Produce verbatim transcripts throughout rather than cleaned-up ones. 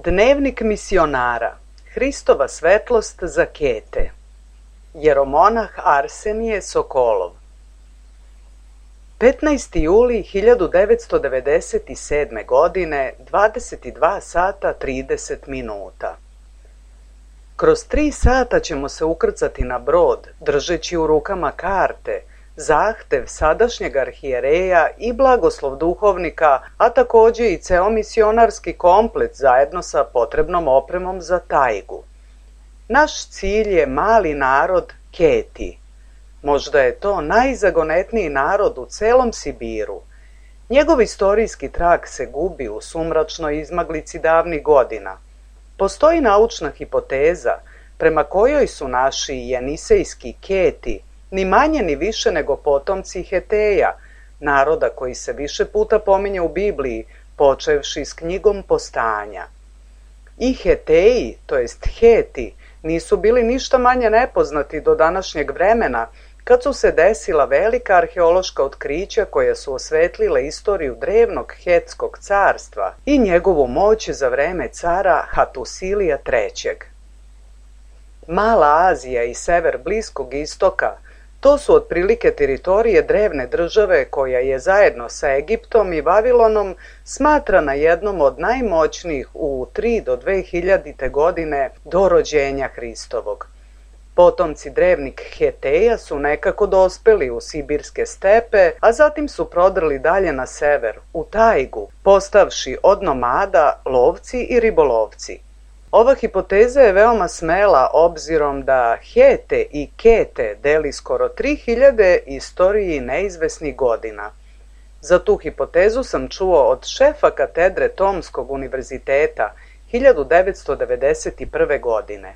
Dnevnik misionara. Hristova svetlost za Kete. Jeromonah Arsenije Sokolov. petnaesti juli hiljadu devetsto devedeset sedme. godine, dvadeset dva sata trideset minuta. Kroz tri sata ćemo se ukrcati na brod, držeći u rukama karte, zahtev sadašnjeg arhijereja i blagoslov duhovnika, a također i ceo misionarski komplet zajedno sa potrebnom opremom za tajgu. Naš cilj je mali narod Keti. Možda je to najzagonetniji narod u celom Sibiru. Njegov istorijski trag se gubi u sumračnoj izmaglici davnih godina. Postoji naučna hipoteza prema kojoj su naši jenisejski Keti ni manje ni više nego potomci Heteja, naroda koji se više puta pominje u Bibliji, počevši s knjigom Postanja. I Heteji, to jest Heti, nisu bili ništa manje nepoznati do današnjeg vremena, kad su se desila velika arheološka otkrića koja su osvetlile istoriju drevnog Hetskog carstva i njegovu moć za vreme cara Hatusilija trećeg. Mala Azija i sever Bliskog istoka, to su otprilike teritorije drevne države koja je zajedno sa Egiptom i Vavilonom smatrana jednom od najmoćnijih u tri do dve hiljadite. godine do rođenja Hristovog. Potomci drevnih Heteja su nekako dospeli u sibirske stepe, a zatim su prodrli dalje na sever, u tajgu, postavši od nomada lovci i ribolovci. Ova hipoteza je veoma smela obzirom da Hete i Kete deli skoro tri hiljade istoriji neizvesnih godina. Za tu hipotezu sam čuo od šefa katedre Tomskog univerziteta hiljadu devetsto devedeset prve. godine.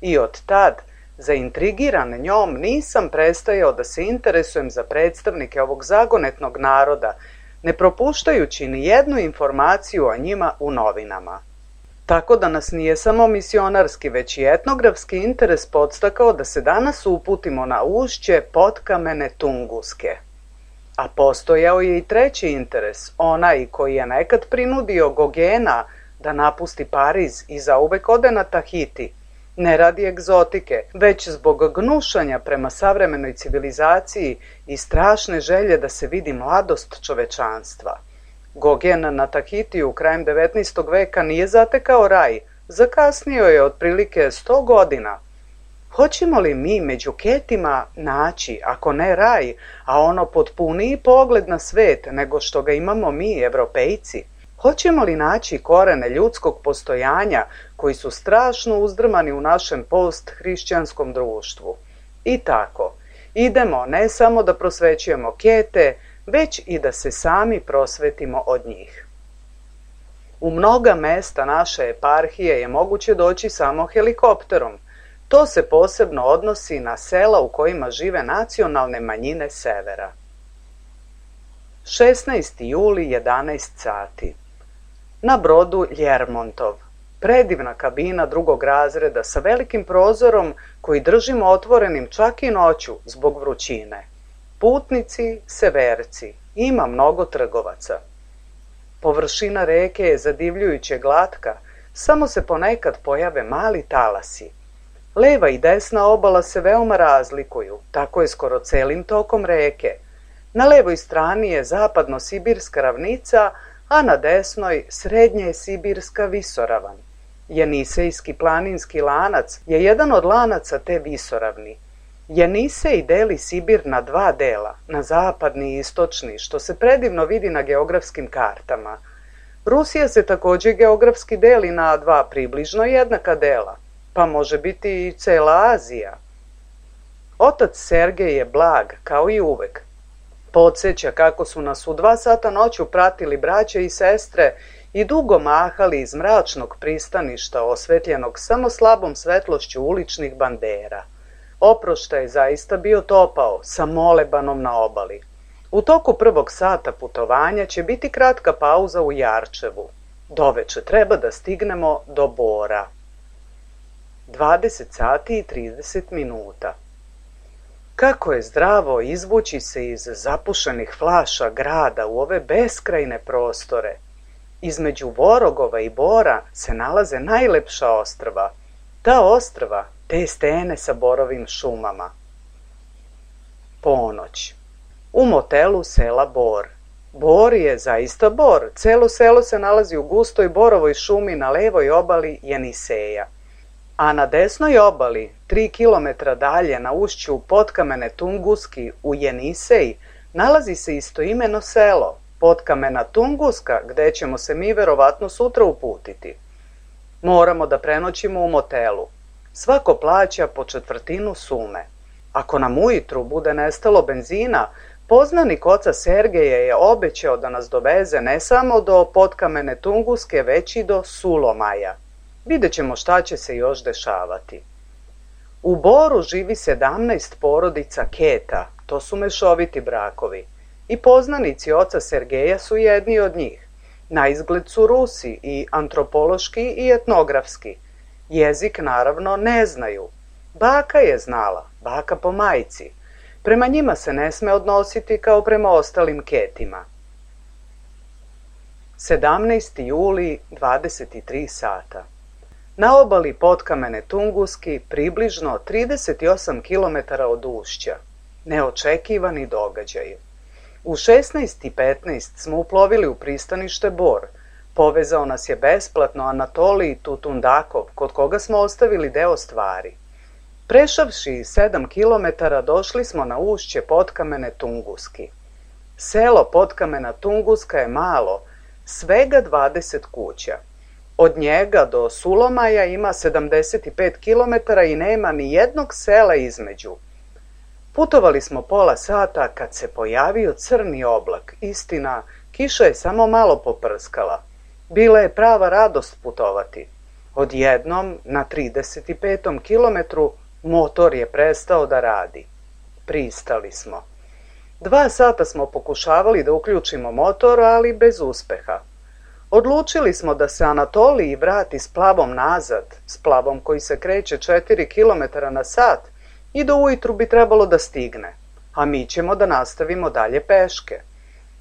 I od tad, zaintrigiran njom, nisam prestajao da se interesujem za predstavnike ovog zagonetnog naroda, ne propuštajući ni jednu informaciju o njima u novinama. Tako da nas nije samo misionarski, već i etnografski interes podstakao da se danas uputimo na ušće potkamene Tunguske. A postojao je i treći interes, onaj koji je nekad prinudio Gogena da napusti Pariz i zauvek ode na Tahiti, ne radi egzotike, već zbog gnušanja prema savremenoj civilizaciji i strašne želje da se vidi mladost čovečanstva. Gogen na Tahitiju krajem devetnaestog. veka nije zatekao raj, zakasnio je otprilike sto godina. Hoćemo li mi među Ketima naći, ako ne raj, a ono potpuniji pogled na svet nego što ga imamo mi, Evropejci? Hoćemo li naći korene ljudskog postojanja koji su strašno uzdrmani u našem post-hrišćanskom društvu? I tako, idemo ne samo da prosvećujemo Kete, već i da se sami prosvetimo od njih. U mnoga mesta naše eparhije je moguće doći samo helikopterom. To se posebno odnosi na sela u kojima žive nacionalne manjine severa. šesnaesti juli, jedanaest sati. Na brodu Ljermontov. Predivna kabina drugog razreda sa velikim prozorom koji držimo otvorenim čak i noću zbog vrućine. Putnici, severci, ima mnogo trgovaca. Površina reke je zadivljujuće glatka, samo se ponekad pojave mali talasi. Leva i desna obala se veoma razlikuju, tako je skoro celim tokom reke. Na levoj strani je zapadno-sibirska ravnica, a na desnoj srednje sibirska visoravan. Jenisejski planinski lanac je jedan od lanaca te visoravni. Jenisej deli Sibir na dva dela, na zapadni i istočni, što se predivno vidi na geografskim kartama. Rusija se također geografski deli na dva približno jednaka dela, pa može biti i cela Azija. Otac Sergej je blag, kao i uvek. Podsjeća kako su nas u dva sata noću pratili braće i sestre i dugo mahali iz mračnog pristaništa osvetljenog samo slabom svetlošću uličnih bandera. Oproštaj je zaista bio topao, sa molebanom na obali. U toku prvog sata putovanja će biti kratka pauza u Jarčevu. Doveče treba da stignemo do Bora. dvadeset sati i trideset minuta. Kako je zdravo izvući se iz zapušenih flaša grada u ove beskrajne prostore. Između Vorogova i Bora se nalaze najlepša ostrva. Ta ostrva, te stene sa borovim šumama. Ponoć. U motelu sela Bor. Bor je zaista Bor. Celo selo se nalazi u gustoj borovoj šumi na levoj obali Jeniseja. A na desnoj obali, tri kilometra dalje na ušću Potkamene Tunguski u Jenisej, nalazi se istoimeno selo, Potkamena Tunguska, gde ćemo se mi verovatno sutra uputiti. Moramo da prenoćimo u motelu. Svako plaća po četvrtinu sume. Ako nam ujutru bude nestalo benzina, poznanik oca Sergeja je obećao da nas doveze ne samo do Potkamene Tunguske, već i do Sulomaja. Vidjet ćemo šta će se još dešavati. U Boru živi sedamnaest porodica Keta, to su mešoviti brakovi. I poznanici oca Sergeja su jedni od njih. Na izgled su Rusi i antropološki i etnografski. Jezik naravno ne znaju. Baka je znala, baka po majci. Prema njima se ne sme odnositi kao prema ostalim Ketima. sedamnaesti juli, dvadeset tri sata. Na obali Potkamene Tunguski, približno trideset osam kilometara od ušća. Neočekivani događaj. U šesnaest i petnaest smo uplovili u pristanište Bor. Povezao nas je besplatno Anatolij Tutundakov, kod koga smo ostavili deo stvari. Prešavši sedam kilometara došli smo na ušće Potkamene Tunguski. Selo Potkamena Tunguska je malo, svega dvadeset kuća. Od njega do Sulomaja ima sedamdeset pet kilometara i nema ni jednog sela između. Putovali smo pola sata kad se pojavio crni oblak. Istina, kiša je samo malo poprskala. Bila je prava radost putovati. Odjednom, na trideset petom kilometru, motor je prestao da radi. Pristali smo. Dva sata smo pokušavali da uključimo motor, ali bez uspeha. Odlučili smo da se Anatolij vrati s plavom nazad, s plavom koji se kreće četiri kilometra na sat, i do ujutru bi trebalo da stigne, a mi ćemo da nastavimo dalje peške.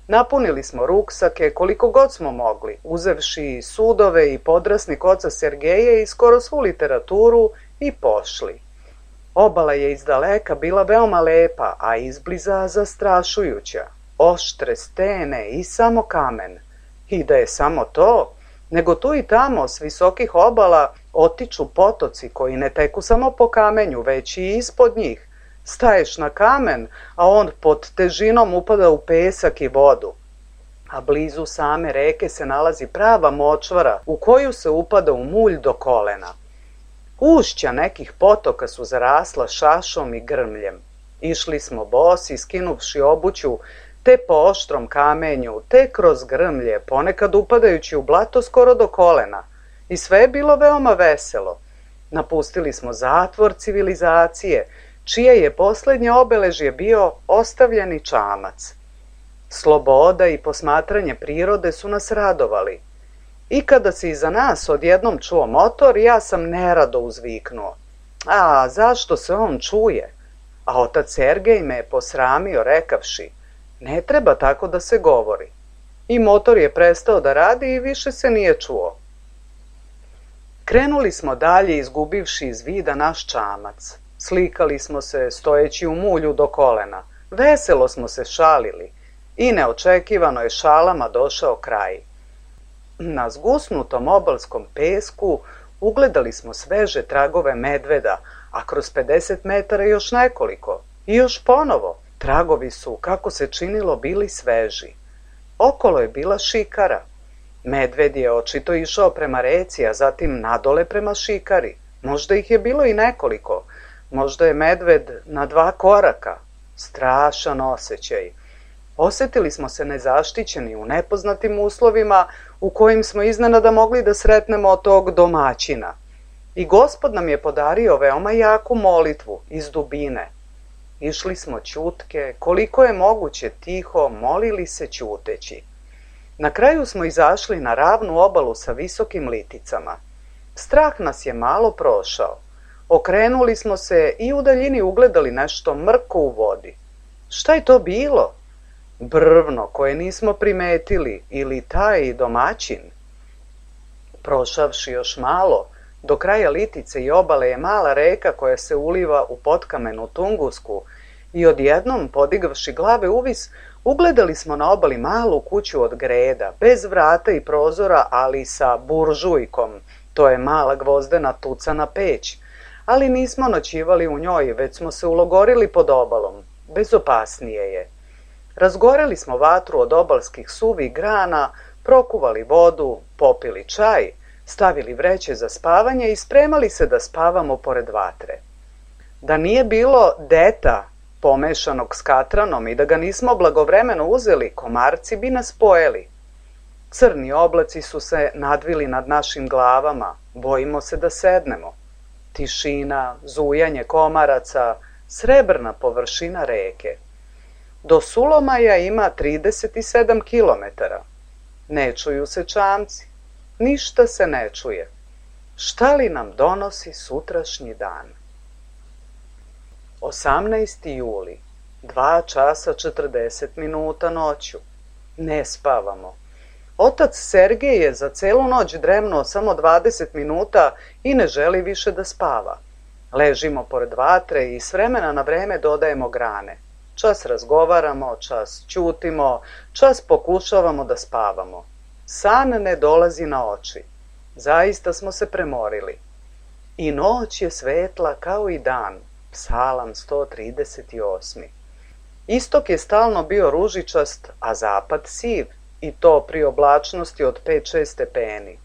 Napunili smo ruksake koliko god smo mogli, uzevši sudove i podrasnik oca Sergeja i skoro svu literaturu i pošli. Obala je iz daleka bila veoma lepa, a izbliza zastrašujuća. Oštre stene i samo kamen. I da je samo to, nego tu i tamo s visokih obala otiču potoci koji ne teku samo po kamenju, već i ispod njih. Staješ na kamen, a on pod težinom upada u pesak i vodu. A blizu same reke se nalazi prava močvara u koju se upada u mulj do kolena. Ušća nekih potoka su zarasla šašom i grmljem. Išli smo bosi, skinuvši obuću, te po oštrom kamenju, te kroz grmlje, ponekad upadajući u blato skoro do kolena. I sve je bilo veoma veselo. Napustili smo zatvor civilizacije, čije je poslednje obeležje bio ostavljeni čamac. Sloboda i posmatranje prirode su nas radovali. I kada se iza nas odjednom čuo motor, ja sam nerado uzviknuo. A, zašto se on čuje? A otac Sergej me je posramio rekavši, ne treba tako da se govori. I motor je prestao da radi i više se nije čuo. Krenuli smo dalje izgubivši iz vida naš čamac. Slikali smo se stojeći u mulju do kolena. Veselo smo se šalili i neočekivano je šalama došao kraj. Na zgusnutom obalskom pesku ugledali smo sveže tragove medveda, a kroz pedeset metara još nekoliko. I još ponovo, tragovi su, kako se činilo, bili sveži. Okolo je bila šikara. Medved je očito išao prema reci, a zatim nadole prema šikari. Možda ih je bilo i nekoliko. Možda je medved na dva koraka. Strašan osjećaj. Osetili smo se nezaštićeni u nepoznatim uslovima, u kojim smo iznenada mogli da sretnemo tog domaćina. I Gospod nam je podario veoma jaku molitvu iz dubine. Išli smo ćutke, koliko je moguće tiho, molili se ćuteći. Na kraju smo izašli na ravnu obalu sa visokim liticama. Strah nas je malo prošao. Okrenuli smo se i u daljini ugledali nešto mrko u vodi. Šta je to bilo? Brvno koje nismo primetili ili taj domaćin. Prošavši još malo, do kraja litice i obale je mala reka koja se uliva u potkamenu Tungusku i odjednom, podigavši glave uvis, ugledali smo na obali malu kuću od greda, bez vrata i prozora, ali sa buržujkom, to je mala gvozdena tucana peć, ali nismo noćivali u njoj, već smo se ulogorili pod obalom, bezopasnije je. Razgoreli smo vatru od obalskih suvih grana, prokuvali vodu, popili čaj, stavili vreće za spavanje i spremali se da spavamo pored vatre. Da nije bilo deta pomešanog s katranom i da ga nismo blagovremeno uzeli, komarci bi nas pojeli. Crni oblaci su se nadvili nad našim glavama, bojimo se da sednemo. Tišina, zujanje komaraca, srebrna površina reke. Do Sulomaja ima trideset sedam kilometara. Ne čuju se čamci, ništa se ne čuje. Šta li nam donosi sutrašnji dan? osamnaesti juli, dva časa četrdeset minuta noću. Ne spavamo. Otac Sergej je za celu noć dremnuo samo dvadeset minuta i ne želi više da spava. Ležimo pored vatre i s vremena na vreme dodajemo grane. Čas razgovaramo, čas ćutimo, čas pokušavamo da spavamo. San ne dolazi na oči. Zaista smo se premorili. I noć je svetla kao i dan. Psalam sto trideset osam. Istok je stalno bio ružičast, a zapad siv, i to pri oblačnosti od pet šest stepeni.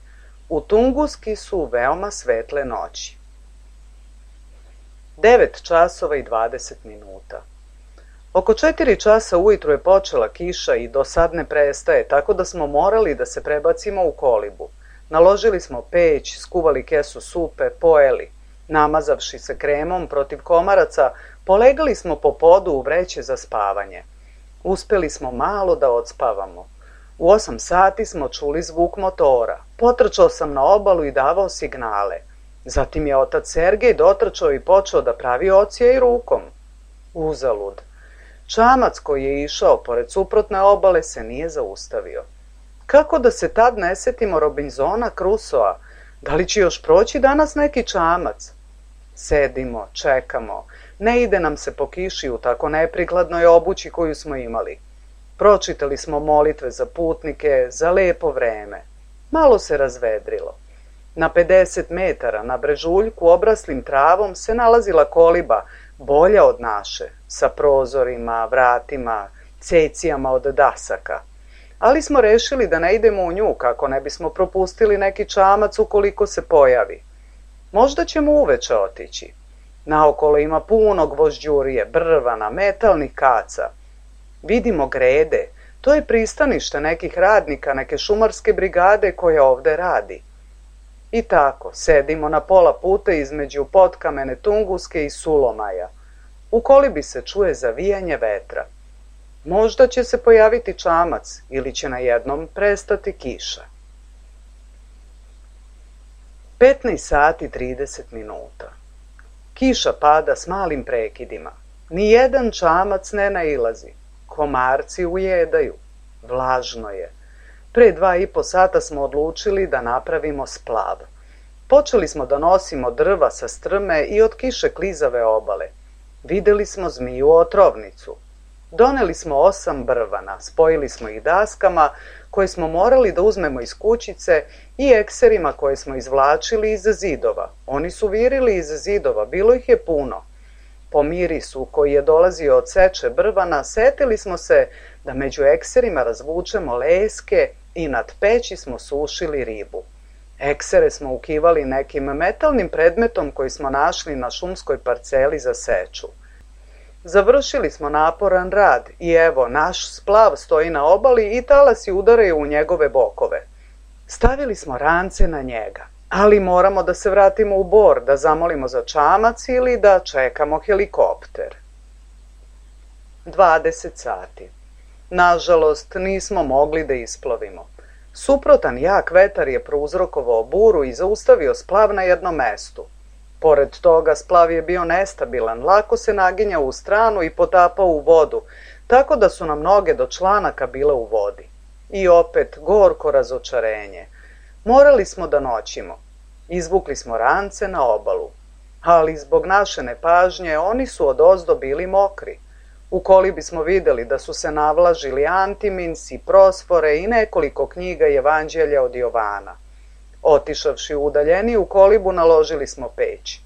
U Tunguski su veoma svetle noći. devet časova i dvadeset minuta. Oko četiri časa ujutru je počela kiša i do sad ne prestaje, tako da smo morali da se prebacimo u kolibu. Naložili smo peć, skuvali kesu supe, pojeli. Namazavši se kremom protiv komaraca, polegali smo po podu u vreće za spavanje. Uspeli smo malo da odspavamo. U osam sati smo čuli zvuk motora. Potrčao sam na obalu i davao signale. Zatim je otac Sergej dotrčao i počeo da pravi ocijaj rukom. Uzalud. Čamac koji je išao pored suprotne obale se nije zaustavio. Kako da se tad ne setimo Robinsona Crusoa? Da li će još proći danas neki čamac? Sedimo, čekamo. Ne ide nam se po kiši u tako neprikladnoj obući koju smo imali. Pročitali smo molitve za putnike, za lepo vreme. Malo se razvedrilo. Na pedeset metara na brežuljku obraslim travom se nalazila koliba, bolja od naše, sa prozorima, vratima, cecijama od dasaka. Ali smo rešili da ne idemo u nju kako ne bismo propustili neki čamac ukoliko se pojavi. Možda ćemo uveče otići. Naokolo ima puno gvožđurije, brvana, metalnih kaca. Vidimo grede, to je pristanište nekih radnika, neke šumarske brigade koja ovde radi. I tako, sedimo na pola puta između potkamene Tunguske i Sulomaja. U kolibi se čuje zavijanje vetra. Možda će se pojaviti čamac ili će na jednom prestati kiša. petnaest sati trideset minuta. Kiša pada s malim prekidima. Nijedan čamac ne nailazi. Komarci ujedaju. Vlažno je. Pre dva i po sata smo odlučili da napravimo splav. Počeli smo da nosimo drva sa strme i od kiše klizave obale. Videli smo zmiju otrovnicu. Doneli smo osam brvana, spojili smo ih daskama koje smo morali da uzmemo iz kućice i ekserima koje smo izvlačili iz zidova. Oni su virili iz zidova, bilo ih je puno. Po mirisu koji je dolazio od seče brvana, setili smo se da među ekserima razvučemo leske i nad peći smo sušili ribu. Eksere smo ukivali nekim metalnim predmetom koji smo našli na šumskoj parceli za seču. Završili smo naporan rad i evo, naš splav stoji na obali i talasi udaraju u njegove bokove. Stavili smo rance na njega, ali moramo da se vratimo u Bor, da zamolimo za čamac ili da čekamo helikopter. dvadeset sati. Nažalost, nismo mogli da isplovimo. Suprotan jak vetar je prouzrokovao buru i zaustavio splav na jednom mestu. Pored toga, splav je bio nestabilan, lako se naginjao u stranu i potapao u vodu, tako da su nam noge do članaka bile u vodi. I opet gorko razočarenje. Morali smo da noćimo. Izvukli smo rance na obalu. Ali zbog naše nepažnje oni su odozdo bili mokri. U kolibi smo videli da su se navlažili Antimins i Prosfore i nekoliko knjiga i evanđelja od Jovana. Otišavši u udaljeniju kolibu, naložili smo peć.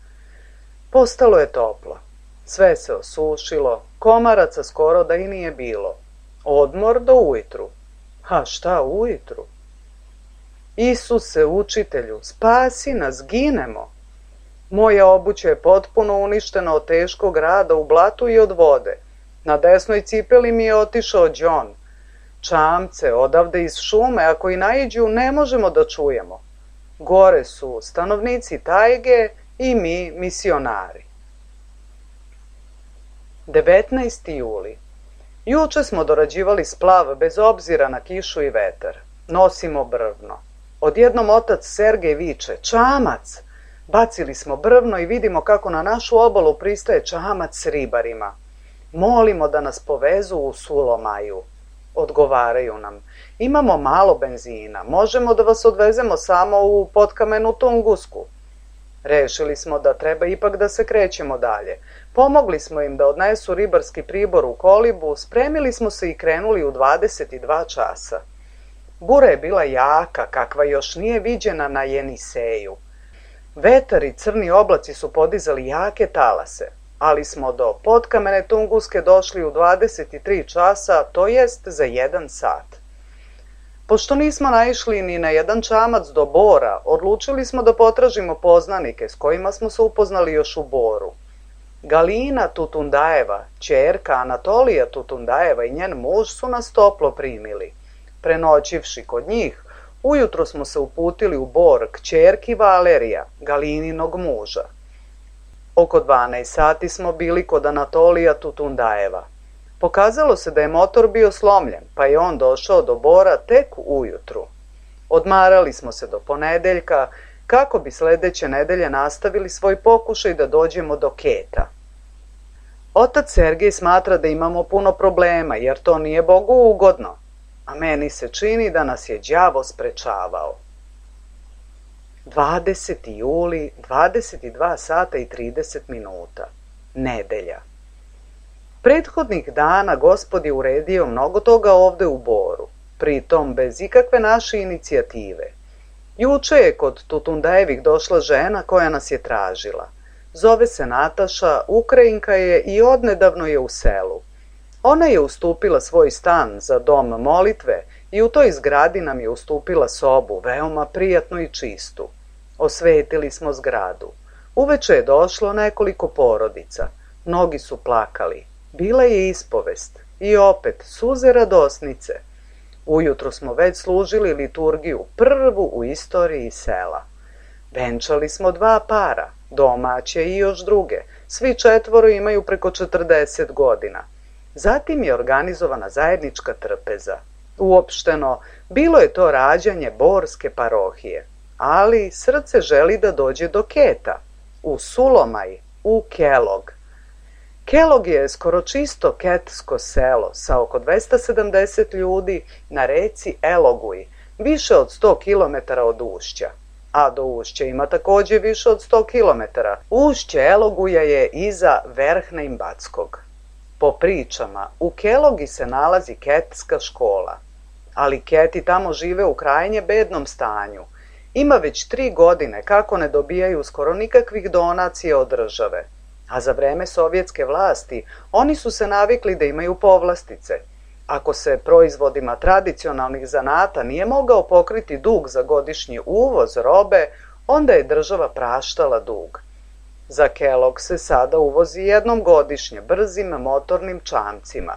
Postalo je toplo. Sve se osušilo, komaraca skoro da i nije bilo. Odmor do ujutru. A šta ujutru? Isuse, učitelju, spasi nas, ginemo. Moja obuća je potpuno uništena od teškog rada u blatu i od vode. Na desnoj cipeli mi je otišao đon. Čamce, odavde iz šume, ako i naiđu, ne možemo da čujemo. Gore su stanovnici tajge i mi misionari. devetnaesti juli. Juče smo dorađivali splav bez obzira na kišu i vetar. Nosimo brvno. Odjednom otac Sergej viče, čamac! Bacili smo brvno i vidimo kako na našu obalu pristaje čamac s ribarima. Molimo da nas povezu u Sulomaju. Odgovaraju nam, imamo malo benzina, možemo da vas odvezemo samo u potkamenu Tungusku. Rešili smo da treba ipak da se krećemo dalje. Pomogli smo im da odnesu ribarski pribor u kolibu, spremili smo se i krenuli u dvadeset dva časa. Bura je bila jaka, kakva još nije viđena na Jeniseju. Vetar i crni oblaci su podizali jake talase, ali smo do potkamene Tunguske došli u dvadeset tri časa, to jest za jedan sat. Pošto nismo naišli ni na jedan čamac do Bora, odlučili smo da potražimo poznanike s kojima smo se upoznali još u Boru. Galina Tutundajeva, ćerka Anatolija Tutundajeva i njen muž su nas toplo primili. Prenoćivši kod njih, ujutro smo se uputili u Bor k ćerki Valerija, Galininog muža. Oko dvanaest sati smo bili kod Anatolija Tutundajeva. Pokazalo se da je motor bio slomljen, pa je on došao do Bora tek ujutru. Odmarali smo se do ponedeljka, kako bi sledeće nedelje nastavili svoj pokušaj da dođemo do Keta. Otac Sergej smatra da imamo puno problema, jer to nije Bogu ugodno, a meni se čini da nas je đavo sprečavao. dvadeseti juli, dvadeset dva sata i trideset minuta. Nedelja. Prethodnih dana Gospod je uredio mnogo toga ovde u Boru, pritom bez ikakve naše inicijative. Juče je kod Tutundajevih došla žena koja nas je tražila. Zove se Nataša, Ukrajinka je i odnedavno je u selu. Ona je ustupila svoj stan za dom molitve i u toj zgradi nam je ustupila sobu, veoma prijatnu i čistu. Osvetili smo zgradu. Uveče je došlo nekoliko porodica. Mnogi su plakali. Bila je ispovest. I opet suze radosnice. Ujutro smo već služili liturgiju, prvu u istoriji sela. Venčali smo dva para, domaće i još druge. Svi četvoro imaju preko četrdeset godina. Zatim je organizovana zajednička trpeza. Uopšteno, bilo je to rađanje Borske parohije. Ali srce želi da dođe do Keta, u Sulomaj, u Kelog. Kelog je skoro čisto ketsko selo sa oko dvesta sedamdeset ljudi na reci Eloguj, više od sto kilometara od ušća. A do ušća ima takođe više od sto kilometara. Ušće Eloguja je iza Verhna Imbatskog. Po pričama, u Kelogi se nalazi ketska škola, ali Keti tamo žive u krajnje bednom stanju. Ima već tri godine kako ne dobijaju skoro nikakvih donacija od države, a za vreme sovjetske vlasti oni su se navikli da imaju povlastice. Ako se proizvodima tradicionalnih zanata nije mogao pokriti dug za godišnji uvoz robe, onda je država praštala dug. Za Kelog se sada uvozi jednom godišnje brzim motornim čamcima.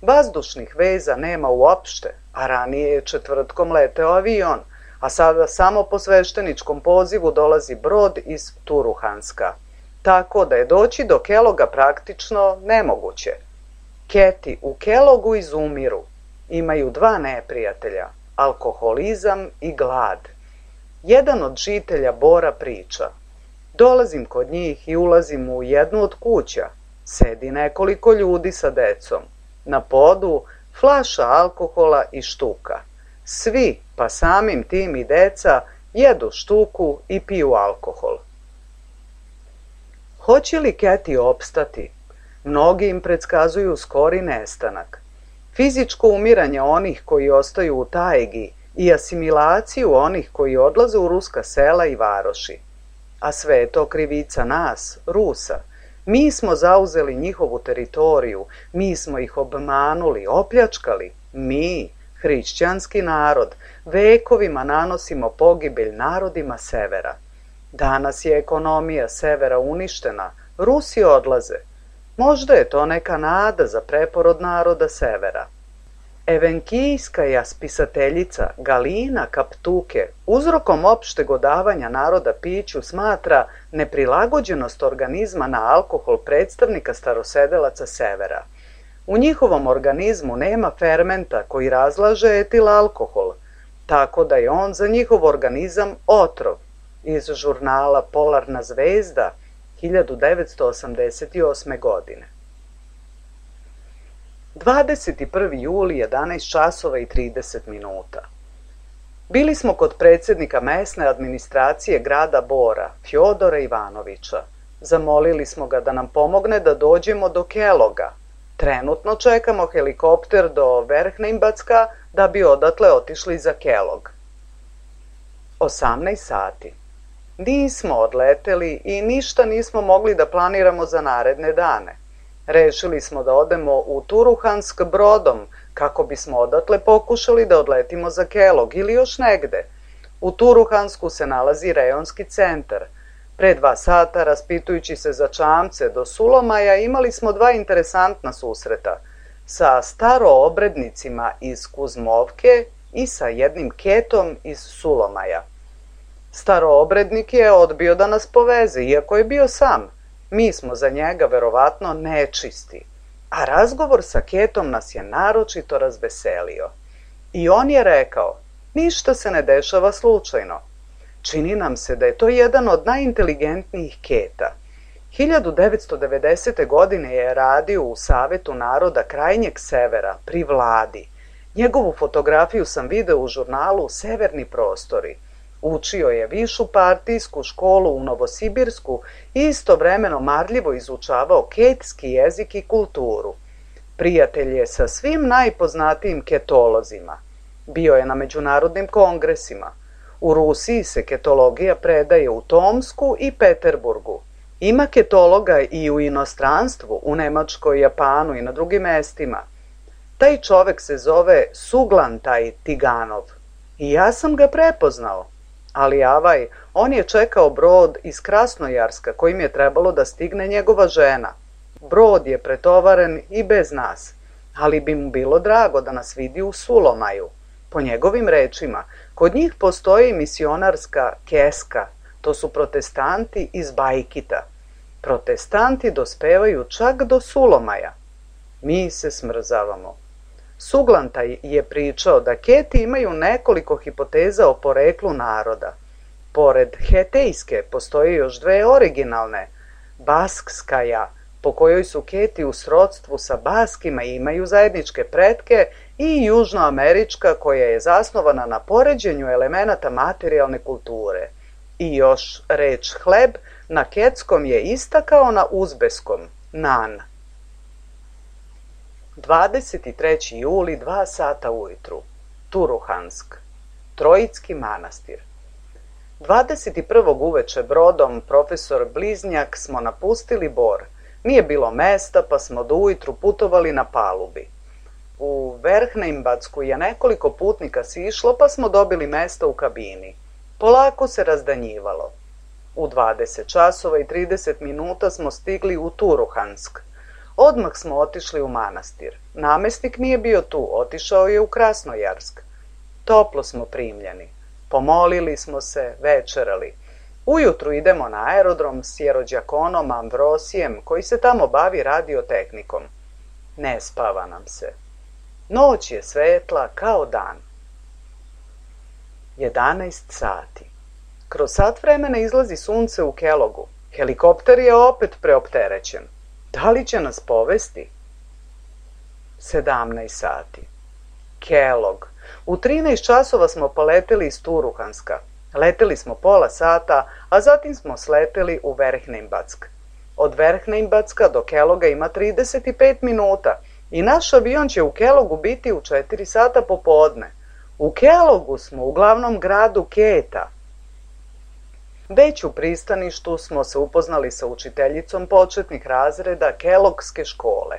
Vazdušnih veza nema uopšte, a ranije je četvrtkom leteo avion, a sada samo po svešteničkom pozivu dolazi brod iz Turuhanska, tako da je doći do Keloga praktično nemoguće. Keti u Kelogu izumiru, imaju dva neprijatelja, alkoholizam i glad. Jedan od žitelja Bora priča: dolazim kod njih i ulazim u jednu od kuća, sedi nekoliko ljudi sa decom, na podu flaša alkohola i štuka. Svi, pa samim tim i deca, jedu štuku i piju alkohol. Hoće li Keti opstati? Mnogi im predskazuju skori nestanak. Fizičko umiranje onih koji ostaju u tajgi i asimilaciju onih koji odlaze u ruska sela i varoši. A sve je to krivica nas, Rusa. Mi smo zauzeli njihovu teritoriju, mi smo ih obmanuli, opljačkali. Mi, hrišćanski narod, vekovima nanosimo pogibelj narodima severa. Danas je ekonomija severa uništena, Rusi odlaze. Možda je to neka nada za preporod naroda severa. Evenkijska spisateljica Galina Kaptuke uzrokom opšteg odavanja naroda piću smatra neprilagođenost organizma na alkohol predstavnika starosedelaca severa. U njihovom organizmu nema fermenta koji razlaže etil alkohol, tako da je on za njihov organizam otrov. Iz žurnala Polarna zvezda hiljadu devetsto osamdeset osme. godine. dvadeset prvi juli, jedanaest časova i trideset minuta. Bili smo kod predsjednika mesne administracije grada Bora, Fjodora Ivanovića. Zamolili smo ga da nam pomogne da dođemo do Keloga. Trenutno čekamo helikopter do Verhnimbacka da bi odatle otišli za Kelog. osamnaest sati. Nismo odleteli i ništa nismo mogli da planiramo za naredne dane. Rešili smo da odemo u Turuhansk brodom, kako bismo odatle pokušali da odletimo za Kelog ili još negde. U Turuhansku se nalazi rejonski centar. Pre dva sata, raspitujući se za čamce do Sulomaja, imali smo dva interesantna susreta. Sa staroobrednicima iz Kuzmovke i sa jednim ketom iz Sulomaja. Staroobrednik je odbio da nas poveze, iako je bio sam. Mi smo za njega verovatno nečisti, a razgovor sa ketom nas je naročito razveselio. I on je rekao: ništa se ne dešava slučajno. Čini nam se da je to jedan od najinteligentnijih keta. hiljadu devetsto devedesete. godine je radio u Savetu naroda krajnjeg severa pri vladi. Njegovu fotografiju sam video u žurnalu Severni prostori. Učio je višu partijsku školu u Novosibirsku i istovremeno marljivo izučavao ketski jezik i kulturu. Prijatelj je sa svim najpoznatijim ketolozima. Bio je na međunarodnim kongresima. U Rusiji se ketologija predaje u Tomsku i Peterburgu. Ima ketologa i u inostranstvu, u Nemačkoj, Japanu i na drugim mestima. Taj čovek se zove Suglantaj Tiganov. I ja sam ga prepoznao. Ali avaj, on je čekao brod iz Krasnojarska kojim je trebalo da stigne njegova žena. Brod je pretovaren i bez nas, ali bi mu bilo drago da nas vidi u Sulomaju. Po njegovim rečima, kod njih postoji misionarska keska, to su protestanti iz Bajkita. Protestanti dospevaju čak do Sulomaja. Mi se smrzavamo. Suglantaj je pričao da Keti imaju nekoliko hipoteza o poreklu naroda. Pored hetejske postoje još dve originalne. Baskskaja, po kojoj su Keti u srodstvu sa Baskima i imaju zajedničke pretke, i južnoamerička koja je zasnovana na poređenju elemenata materijalne kulture. I još reč hleb na ketskom je ista kao na uzbeskom, nan. dvadeset treći juli, dva sata ujutru. Turuhansk. Trojicki manastir. dvadeset prvog uveče brodom profesor Bliznjak smo napustili Bor. Nije bilo mesta, pa smo do ujutru putovali na palubi. U Verhnimbacku je nekoliko putnika sišlo, pa smo dobili mesta u kabini. Polako se razdanjivalo. U dvadeset časova i trideset minuta smo stigli u Turuhansk. Odmah smo otišli u manastir. Namestnik nije bio tu, otišao je u Krasnojarsk. Toplo smo primljeni. Pomolili smo se, večerali. Ujutru idemo na aerodrom s jerođakonom Ambrosijem koji se tamo bavi radiotehnikom. Ne spava nam se. Noć je svetla kao dan. jedanaest sati. Kroz sat vremena izlazi sunce u Kellogu. Helikopter je opet preopterećen. Da li će nas povesti? sedamnaest sati. Kellogg. U trinaest časova smo poleteli iz Turuhanska. Leteli smo pola sata, a zatim smo sleteli u Verhneinbatsk. Od Verhneinbatska do Kellogga ima trideset pet minuta i naš avion će u Kelloggu biti u četiri sata popodne. U Kelloggu smo, u glavnom gradu Keta. Već u pristaništu smo se upoznali sa učiteljicom početnih razreda Kelloggske škole.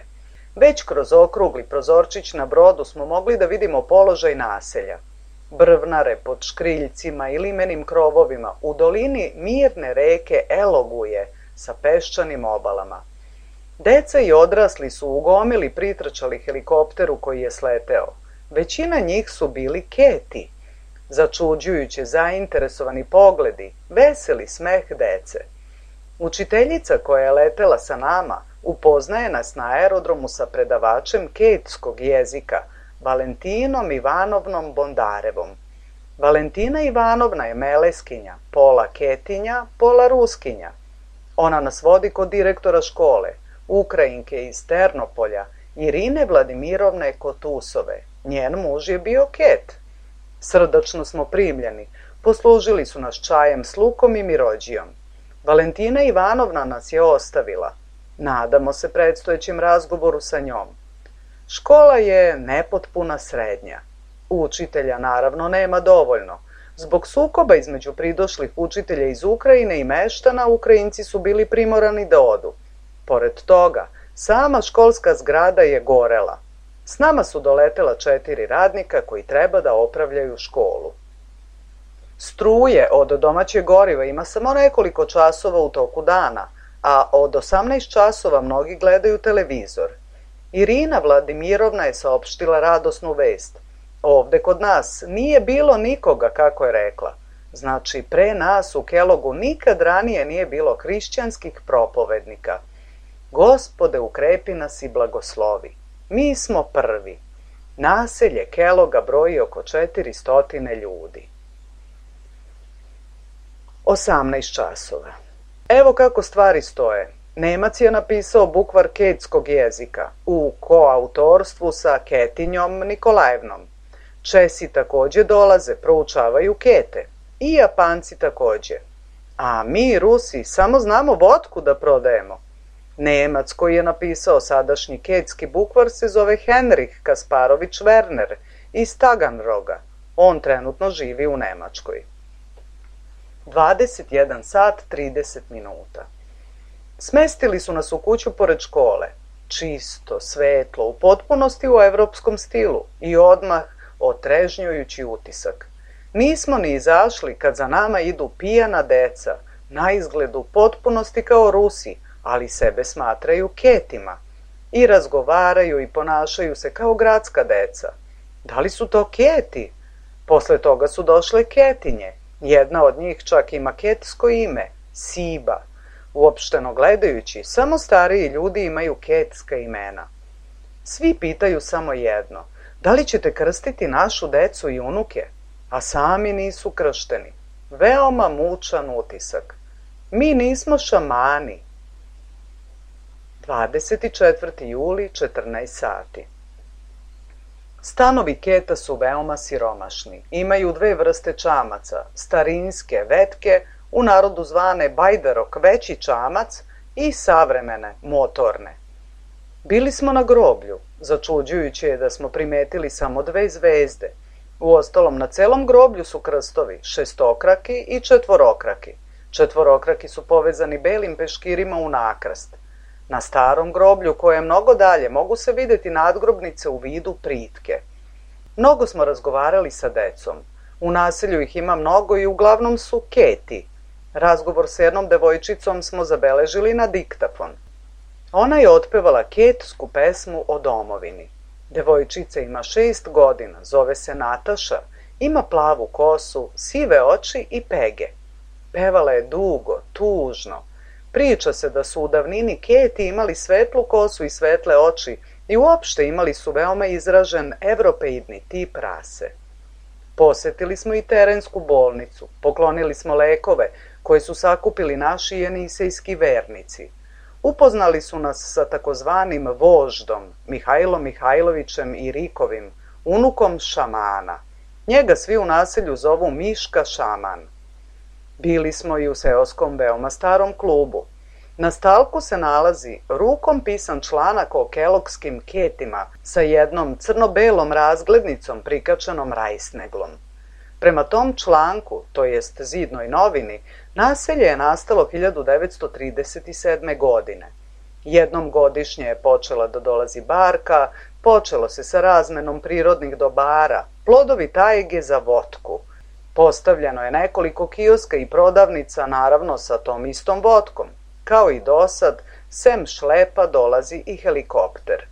Već kroz okrugli prozorčić na brodu smo mogli da vidimo položaj naselja. Brvnare pod škriljcima i limenim krovovima u dolini mirne reke Eloguje sa peščanim obalama. Deca i odrasli su u gomili pritrčali helikopteru koji je sleteo. Većina njih su bili Keti. Začuđujuće zainteresovani pogledi, veseli smeh dece. Učiteljica koja je letela sa nama upoznaje nas na aerodromu sa predavačem ketskog jezika, Valentinom Ivanovnom Bondarevom. Valentina Ivanovna je meleskinja, pola Ketinja, pola Ruskinja. Ona nas vodi kod direktora škole, Ukrajinke iz Ternopolja, Irine Vladimirovne Kotusove. Njen muž je bio Ket. Srdačno smo primljeni, poslužili su nas čajem s lukom i mirođijom. Valentina Ivanovna nas je ostavila. Nadamo se predstojećem razgovoru sa njom. Škola je nepotpuna srednja. Učitelja naravno nema dovoljno. Zbog sukoba između pridošlih učitelja iz Ukrajine i meštana, Ukrajinci su bili primorani da odu. Pored toga, sama školska zgrada je gorela. S nama su doletela četiri radnika koji treba da opravljaju školu. Struje od domaćeg goriva ima samo nekoliko časova u toku dana, a od osamnaest časova mnogi gledaju televizor. Irina Vladimirovna je saopštila radosnu vest. Ovde kod nas nije bilo nikoga, kako je rekla. Znači, pre nas u Kelloggu nikad ranije nije bilo hrišćanskih propovednika. Gospode, ukrepi nas i blagoslovi. Mi smo prvi. Naselje Kellogga broji oko četiristo ljudi. osamnaest časova. Evo kako stvari stoje. Nemac je napisao bukvar ketskog jezika u koautorstvu sa Ketinjom Nikolajevnom. Česi takođe dolaze, proučavaju Kete. I Japanci takođe. A mi, Rusi, samo znamo vodku da prodajemo. Nemac koji je napisao sadašnji ketski bukvar se zove Henrich Kasparović Werner iz Taganroga. On trenutno živi u Nemačkoj. dvadeset jedan sat trideset minuta. Smestili su nas u kuću pored škole. Čisto, svetlo, u potpunosti u evropskom stilu i odmah otrežnjujući utisak. Nismo ni izašli kad za nama idu pijana deca, na izgled u potpunosti kao Rusi, ali sebe smatraju Ketima. I razgovaraju i ponašaju se kao gradska deca. Da li su to Keti? Posle toga su došle Ketinje. Jedna od njih čak ima ketsko ime, Siba. Uopšteno gledajući, samo stariji ljudi imaju ketska imena. Svi pitaju samo jedno, da li ćete krstiti našu decu i unuke? A sami nisu kršteni. Veoma mučan utisak. Mi nismo šamani. dvadeset četvrti juli, četrnaest sati. Stanovi Keta su veoma siromašni. Imaju dve vrste čamaca, starinske, vetke, u narodu zvane bajdarok, veći čamac, i savremene, motorne. Bili smo na groblju. Začuđujuće je da smo primetili samo dve zvezde. Uostalom, na celom groblju su krstovi, šestokraki i četvorokraki. Četvorokraki su povezani belim peškirima u nakrst. Na starom groblju, koje je mnogo dalje, mogu se videti nadgrobnice u vidu pritke. Mnogo smo razgovarali sa decom. U naselju ih ima mnogo i uglavnom su Keti. Razgovor s jednom devojčicom smo zabeležili na diktafon. Ona je otpevala ketsku pesmu o domovini. Devojčica ima šest godina, zove se Nataša Ima plavu kosu, sive oči i pege. Pevala je dugo, tužno. Priča se da su u davnini Keti imali svetlu kosu i svetle oči i uopšte imali su veoma izražen evropeidni tip rase. Posetili smo i terensku bolnicu, poklonili smo lekove koje su sakupili naši jenisejski vernici. Upoznali su nas sa takozvanim voždom, Mihajlom Mihajlovićem i Rikovim, unukom šamana. Njega svi u naselju zovu Miška šaman. Bili smo i u seoskom veoma starom klubu. Na stalku se nalazi rukom pisan članak o kelogskim ketima sa jednom crno-belom razglednicom prikačenom rajsneglom. Prema tom članku, to jest zidnoj novini, naselje je nastalo hiljadu devetsto trideset sedme. godine. Jednom godišnje je počela da dolazi barka, počelo se sa razmenom prirodnih dobara, plodovi tajge za votku. Postavljeno je nekoliko kioska i prodavnica, naravno sa tom istom votkom. Kao i dosad, sem šlepa dolazi i helikopter.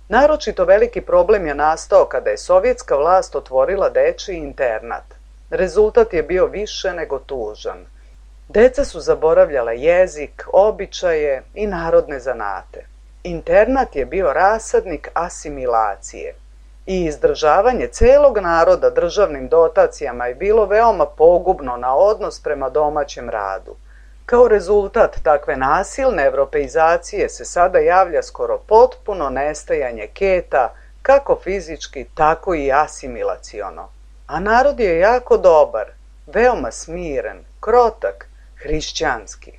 Naročito veliki problem je nastao kada je sovjetska vlast otvorila dečiji internat. Rezultat je bio više nego tužan. Deca su zaboravljala jezik, običaje i narodne zanate. Internat je bio rasadnik asimilacije i izdržavanje celog naroda državnim dotacijama je bilo veoma pogubno na odnos prema domaćem radu. Kao rezultat takve nasilne evropeizacije se sada javlja skoro potpuno nestajanje Keta, kako fizički, tako i asimilaciono. A narod je jako dobar, veoma smiren, krotak, hrišćanski.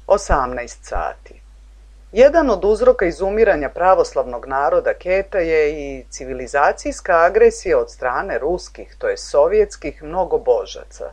osamnaest sati. Jedan od uzroka izumiranja pravoslavnog naroda Keta je i civilizacijska agresija od strane ruskih, to je sovjetskih mnogobožaca.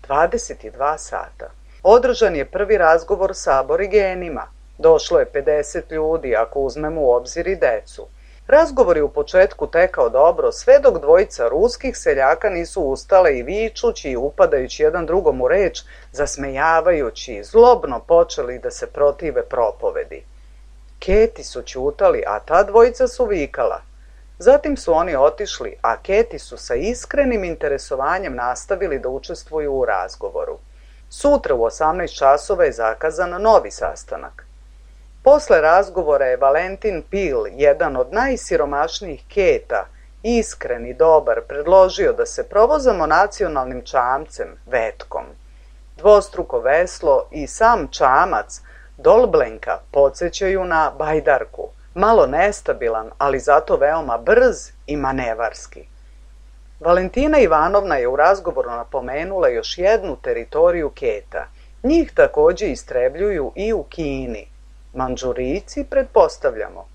dvadeset dva sata. Održan je prvi razgovor sa aborigenima. Došlo je pedeset ljudi, ako uzmemo u obzir i decu. Razgovor je u početku tekao dobro, sve dok dvojica ruskih seljaka nisu ustale i vičući i upadajući jedan drugom u reč, zasmejavajući, zlobno počeli da se protive propovedi. Keti su ćutali, a ta dvojica su vikala. Zatim su oni otišli, a Keti su sa iskrenim interesovanjem nastavili da učestvuju u razgovoru. Sutra u osamnaest časova je zakazan novi sastanak. Posle razgovora je Valentin Pil, jedan od najsiromašnijih Keta, iskren i dobar, predložio da se provozamo nacionalnim čamcem, vetkom. Dvostruko veslo i sam čamac, Dolblenka, podsjećaju na bajdarku, malo nestabilan, ali zato veoma brz i manevarski. Valentina Ivanovna je u razgovoru napomenula još jednu teritoriju Keta. Njih takođe istrebljuju i u Kini. Mandžurijci, pretpostavljamo.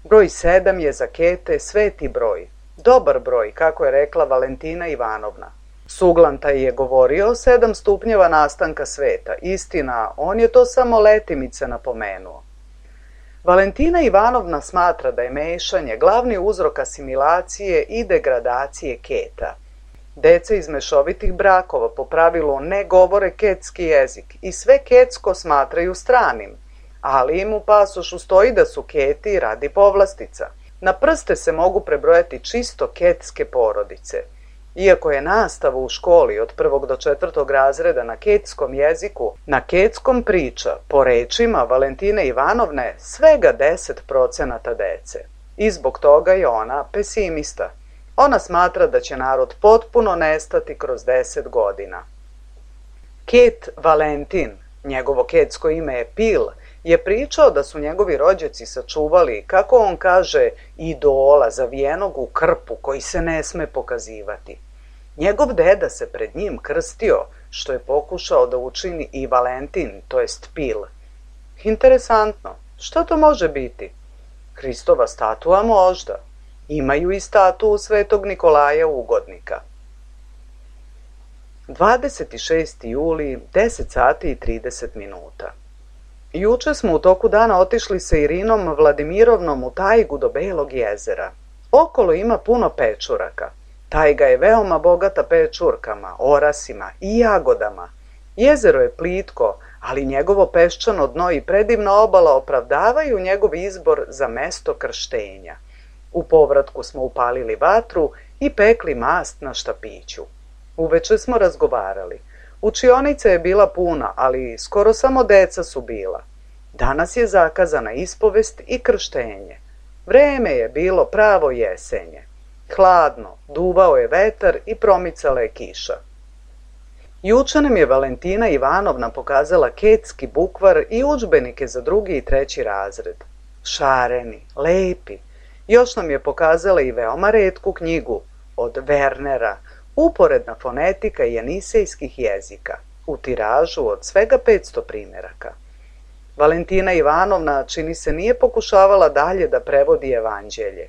Broj sedam je za Kete sveti broj. Dobar broj, kako je rekla Valentina Ivanovna. Suglantaj je govorio o sedam stupnjeva nastanka sveta. Istina, on je to samo letimice napomenuo. Valentina Ivanovna smatra da je mešanje glavni uzrok asimilacije i degradacije Keta. Deca iz mešovitih brakova po pravilu ne govore ketski jezik i sve ketsko smatraju stranim, ali im u pasošu stoji da su Keti radi povlastica. Na prste se mogu prebrojati čisto ketske porodice. Iako je nastava u školi od prvog do četvrtog razreda na ketskom jeziku, na ketskom priča, po rečima Valentine Ivanovne, svega deset procenata dece. I zbog toga je ona pesimista. Ona smatra da će narod potpuno nestati kroz deset godina. Ket Valentin, njegovo ketsko ime je Pil, je pričao da su njegovi rođaci sačuvali, kako on kaže, idola zavijenog u krpu koji se ne sme pokazivati. Njegov deda se pred njim krstio, što je pokušao da učini i Valentin, to jest Pil. Interesantno, što to može biti? Hristova statua možda. Imaju i statue Svetog Nikolaja Ugodnika. dvadeset šesti juli, deset sati i trideset minuta. Juče smo u toku dana otišli sa Irinom Vladimirovnom u tajgu do Belog jezera. Okolo ima puno pečuraka. Tajga je veoma bogata pečurkama, orasima i jagodama. Jezero je plitko, ali njegovo peščano dno i predivna obala opravdavaju njegov izbor za mesto krštenja. U povratku smo upalili vatru i pekli mast na štapiću. Uveče smo razgovarali. Učionica je bila puna, ali skoro samo deca su bila. Danas je zakazana ispovest i krštenje. Vreme je bilo pravo jesenje. Hladno, duvao je vetar i promicala je kiša. Juče nam je Valentina Ivanovna pokazala ketski bukvar i udžbenike za drugi i treći razred. Šareni, lepi. Još nam je pokazala i veoma retku knjigu od Wernera, Uporedna fonetika jenisejskih jezika, u tiražu od svega petsto primjeraka. Valentina Ivanovna, čini se, nije pokušavala dalje da prevodi evanđelje.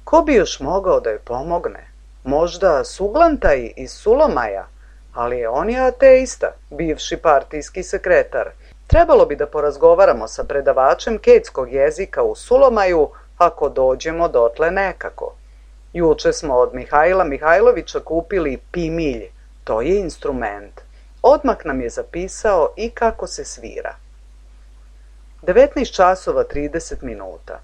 Ko bi još mogao da joj pomogne? Možda Suglantaj iz Sulomaja, ali on je ateista, bivši partijski sekretar. Trebalo bi da porazgovaramo sa predavačem ketskog jezika u Sulomaju, ako dođemo dotle nekako. Juče smo od Mihajla Mihajlovića kupili pimilj, to je instrument. Odmah nam je zapisao i kako se svira. devetnaest časova trideset minuta.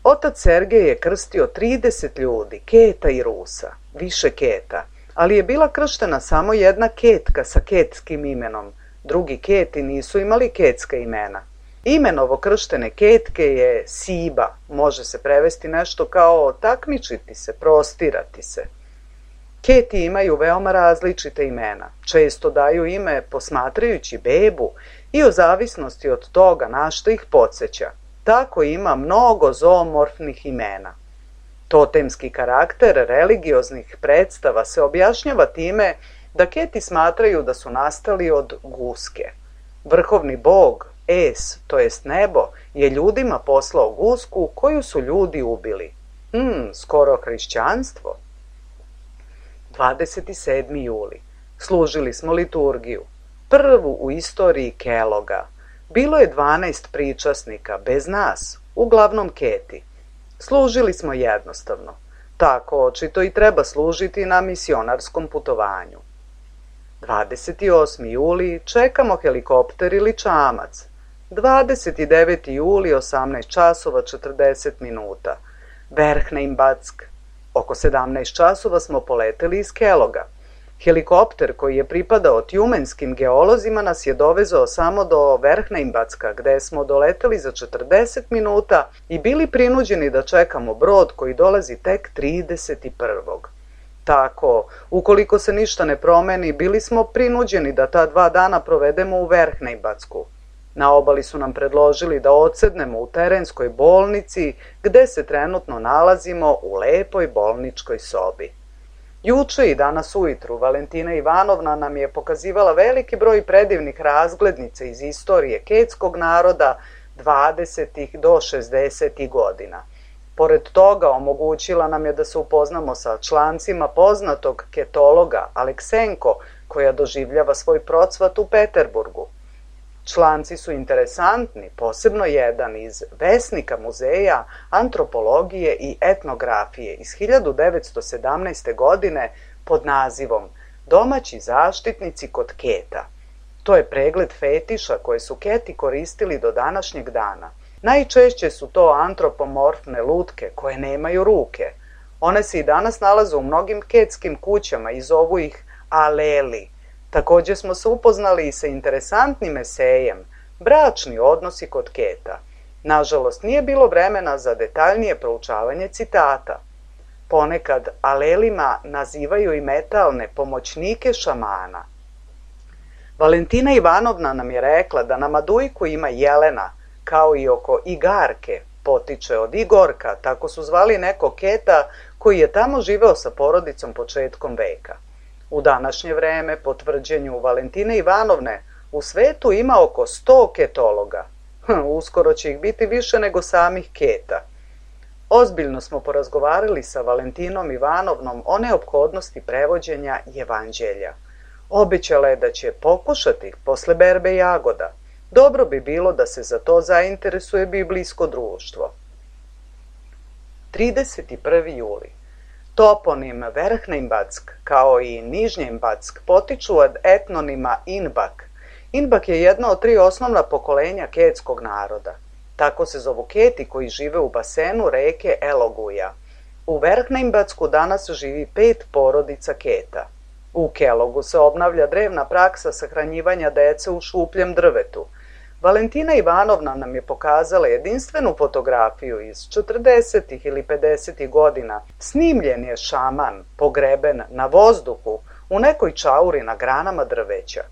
Otac Sergej je krstio trideset ljudi, Keta i Rusa, više Keta, ali je bila krštena samo jedna Ketka sa ketskim imenom. Drugi Keti nisu imali ketska imena. Ime novokrštene Ketke je Siba, može se prevesti nešto kao takmičiti se, prostirati se. Keti imaju veoma različite imena, često daju ime posmatrajući bebu i o zavisnosti od toga na što ih podsjeća. Tako ima mnogo zoomorfnih imena. Totemski karakter religioznih predstava se objašnjava time da Keti smatraju da su nastali od guske. Vrhovni bog, Es, to jest nebo, je ljudima poslao gusku koju su ljudi ubili. Hmm, skoro hrišćanstvo. dvadeset sedmi juli. Služili smo liturgiju. Prvu u istoriji Keloga. Bilo je dvanaest pričasnika, bez nas, uglavnom Keti. Služili smo jednostavno. Tako očito i treba služiti na misionarskom putovanju. dvadeset osmi juli. Čekamo helikopter ili čamac. dvadeset deveti juli, osamnaest časova četrdeset minuta. Verhneinbatsk. Oko sedamnaest časova smo poleteli iz Keloga. Helikopter koji je pripadao tjumenskim geolozima nas je dovezao samo do Verhneinbatska, gde smo doleteli za četrdeset minuta i bili prinuđeni da čekamo brod koji dolazi tek trideset prvog Tako, ukoliko se ništa ne promeni, bili smo prinuđeni da ta dva dana provedemo u Verhneinbatsku. Na obali su nam predložili da odsednemo u terenskoj bolnici, gde se trenutno nalazimo u lepoj bolničkoj sobi. Juče i danas ujutru Valentina Ivanovna nam je pokazivala veliki broj predivnih razglednica iz istorije ketskog naroda dvadesetih do šezdesetih godina. Pored toga omogućila nam je da se upoznamo sa člancima poznatog ketologa Aleksenko, koja doživljava svoj procvat u Peterburgu. Članci su interesantni, posebno jedan iz Vesnika muzeja antropologije i etnografije iz hiljadu devetsto sedamnaeste. godine pod nazivom Domaći zaštitnici kod Keta. To je pregled fetiša koje su Keti koristili do današnjeg dana. Najčešće su to antropomorfne lutke koje nemaju ruke. One se i danas nalaze u mnogim ketskim kućama i zovu ih aleli. Također smo se upoznali i sa interesantnim esejem Bračni odnosi kod Keta. Nažalost, nije bilo vremena za detaljnije proučavanje citata. Ponekad alelima nazivaju i metalne pomoćnike šamana. Valentina Ivanovna nam je rekla da na Madujku ima jelena, kao i oko Igarke, potiče od Igorka, tako su zvali neko Keta koji je tamo živeo sa porodicom početkom veka. U današnje vreme, po tvrđenju Valentine Ivanovne, u svetu ima oko sto ketologa. Hm, uskoro će ih biti više nego samih Keta. Ozbiljno smo porazgovarali sa Valentinom Ivanovnom o neophodnosti prevođenja evanđelja. Obećala je da će pokušati posle berbe jagoda. Dobro bi bilo da se za to zainteresuje biblijsko društvo. trideset prvi juli. Toponim Verhneinbatsk kao i Nižnjeinbatsk potiču od etnonima Inbak. Inbak je jedno od tri osnovna pokolenja ketskog naroda. Tako se zovu keti koji žive u basenu reke Eloguja. U Verkneimbacku danas živi pet porodica keta. U Kelogu se obnavlja drevna praksa sahranjivanja dece u šupljem drvetu. Valentina Ivanovna nam je pokazala jedinstvenu fotografiju iz četrdesetih ili pedesetih godina. Snimljen je šaman, pogreben na vozduhu, u nekoj čauri na granama drveća.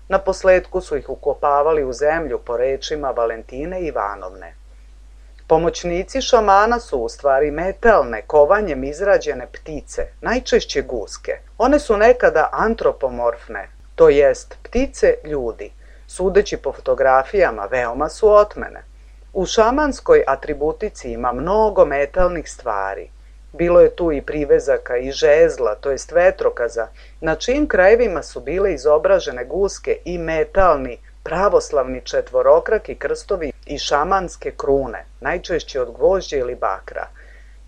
Na posledku su ih ukopavali u zemlju po rečima Valentine Ivanovne. Pomoćnici šamana su u stvari metalne, kovanjem izrađene ptice, najčešće guske. One su nekada antropomorfne, to jest ptice ljudi. Sudeći po fotografijama, veoma su otmene. U šamanskoj atributici ima mnogo metalnih stvari. Bilo je tu i privezaka i žezla, to jest vetrokaza, na čijim krajevima su bile izobražene guske i metalni, pravoslavni četvorokraki krstovi i šamanske krune, najčešće od gvožđa ili bakra.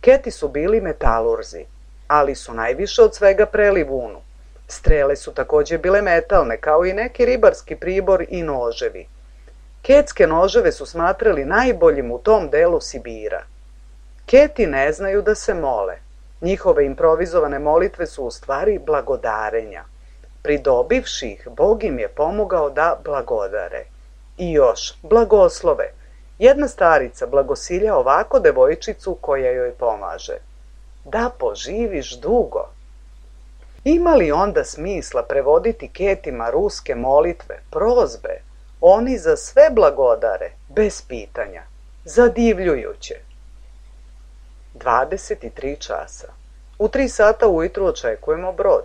Keti su bili metalurzi, ali su najviše od svega preli vunu. Strele su takođe bile metalne, kao i neki ribarski pribor i noževi. Ketske noževe su smatrali najboljim u tom delu Sibira. Keti ne znaju da se mole. Njihove improvizovane molitve su u stvari blagodarenja. Pridobivši ih, Bog im je pomogao da blagodare. I još, blagoslove. Jedna starica blagosilja ovako devojčicu koja joj pomaže. Da poživiš dugo. Ima li onda smisla prevoditi ketima ruske molitve, prozbe? Oni za sve blagodare, bez pitanja. Zadivljujuće. dvadeset tri časa. U tri sata ujutru očekujemo brod.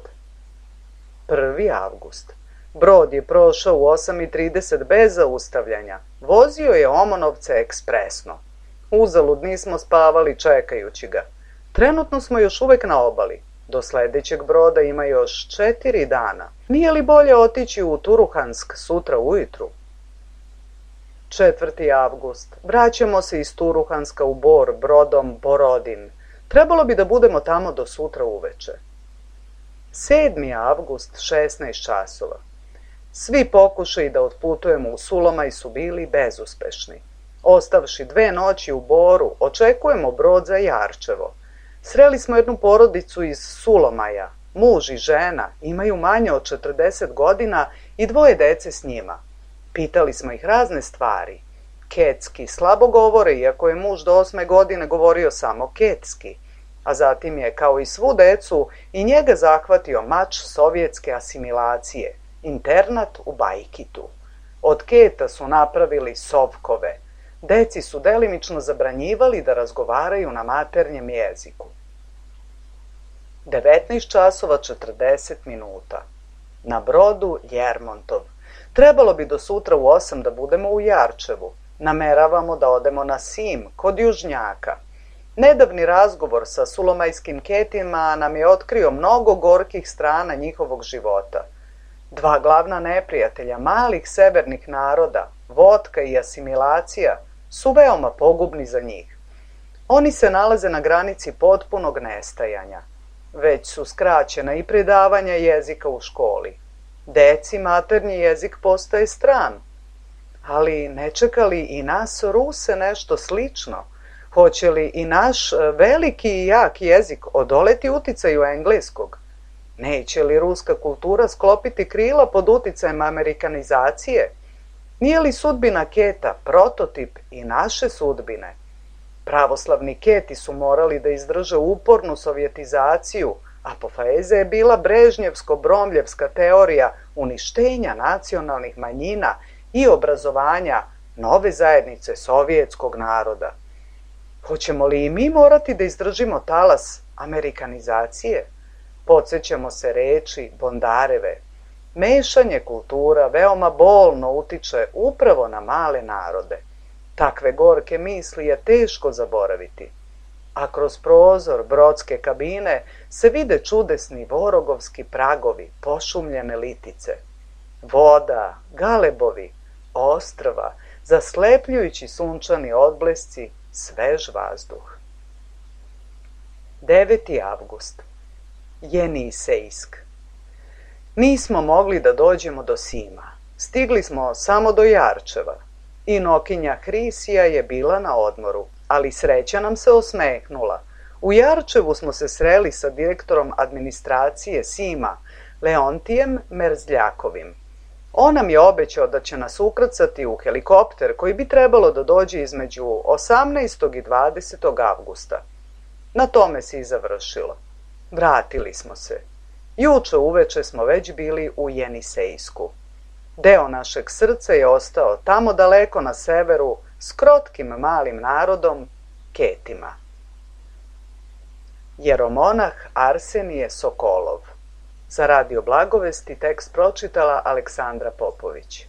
prvi avgust. Brod je prošao u osam i trideset bez zaustavljanja. Vozio je Omonovce ekspresno. Uzalud nismo spavali čekajući ga. Trenutno smo još uvek na obali. Do sledećeg broda ima još četiri dana. Nije li bolje otići u Turuhansk sutra ujutru? četvrti avgust. Vraćamo se iz Turuhanska u Bor brodom Borodin. Trebalo bi da budemo tamo do sutra uveče. sedmi avgust, šesnaest časova. Svi pokušaji da otputujemo u Sulomaj su bili bezuspešni. Ostavši dve noći u Boru, očekujemo brod za Jarčevo. Sreli smo jednu porodicu iz Sulomaja. Muž i žena imaju manje od četrdeset godina i dvoje dece s njima. Pitali smo ih razne stvari. Ketski slabo govore, iako je muž do osme godine govorio samo ketski. A zatim je, kao i svu decu, i njega zahvatio mač sovjetske asimilacije, internat u Bajkitu. Od keta su napravili sovkove. Deci su delimično zabranjivali da razgovaraju na maternjem jeziku. devetnaest časova četrdeset minuta. Na brodu Ljermontov. Trebalo bi do sutra u osam da budemo u Jarčevu. Nameravamo da odemo na Sim, kod Južnjaka. Nedavni razgovor sa sulomajskim ketima nam je otkrio mnogo gorkih strana njihovog života. Dva glavna neprijatelja malih severnih naroda, vodka i asimilacija, su veoma pogubni za njih. Oni se nalaze na granici potpunog nestajanja. Već su skraćena i predavanja jezika u školi. Deci maternji jezik postaje stran. Ali ne čeka li i nas Ruse nešto slično? Hoće li i naš veliki i jak jezik odoleti uticaju engleskog? Neće li ruska kultura sklopiti krila pod uticajem amerikanizacije? Nije li sudbina keta prototip i naše sudbine? Pravoslavni keti su morali da izdrže upornu sovjetizaciju, apofeza je bila brežnjevsko-bromljevska teorija uništenja nacionalnih manjina i obrazovanja nove zajednice sovjetskog naroda. Hoćemo li i mi morati da izdržimo talas amerikanizacije? Podsećamo se reči Bondareve. Mešanje kultura veoma bolno utiče upravo na male narode. Takve gorke misli je teško zaboraviti. A kroz prozor brodske kabine se vide čudesni vorogovski pragovi, pošumljene litice. Voda, galebovi, ostrva, zaslepljujući sunčani odblesci, svež vazduh. deveti avgust. Jenisejsk. Nismo mogli da dođemo do Sima. Stigli smo samo do Jarčeva. I nokinja Hrisija je bila na odmoru, ali sreća nam se osmehnula. U Jarčevu smo se sreli sa direktorom administracije Sima, Leontijem Merzljakovim. On nam je obećao da će nas ukrcati u helikopter koji bi trebalo da dođe između osamnaestog i dvadesetog avgusta. Na tome se i završilo. Vratili smo se. Juče uveče smo već bili u Jenisejsku. Deo našeg srca je ostao tamo daleko na severu s krotkim malim narodom, Ketima. Jeromonah Arsenije Sokolov. Za Radio Blagovesti tekst pročitala Aleksandra Popović.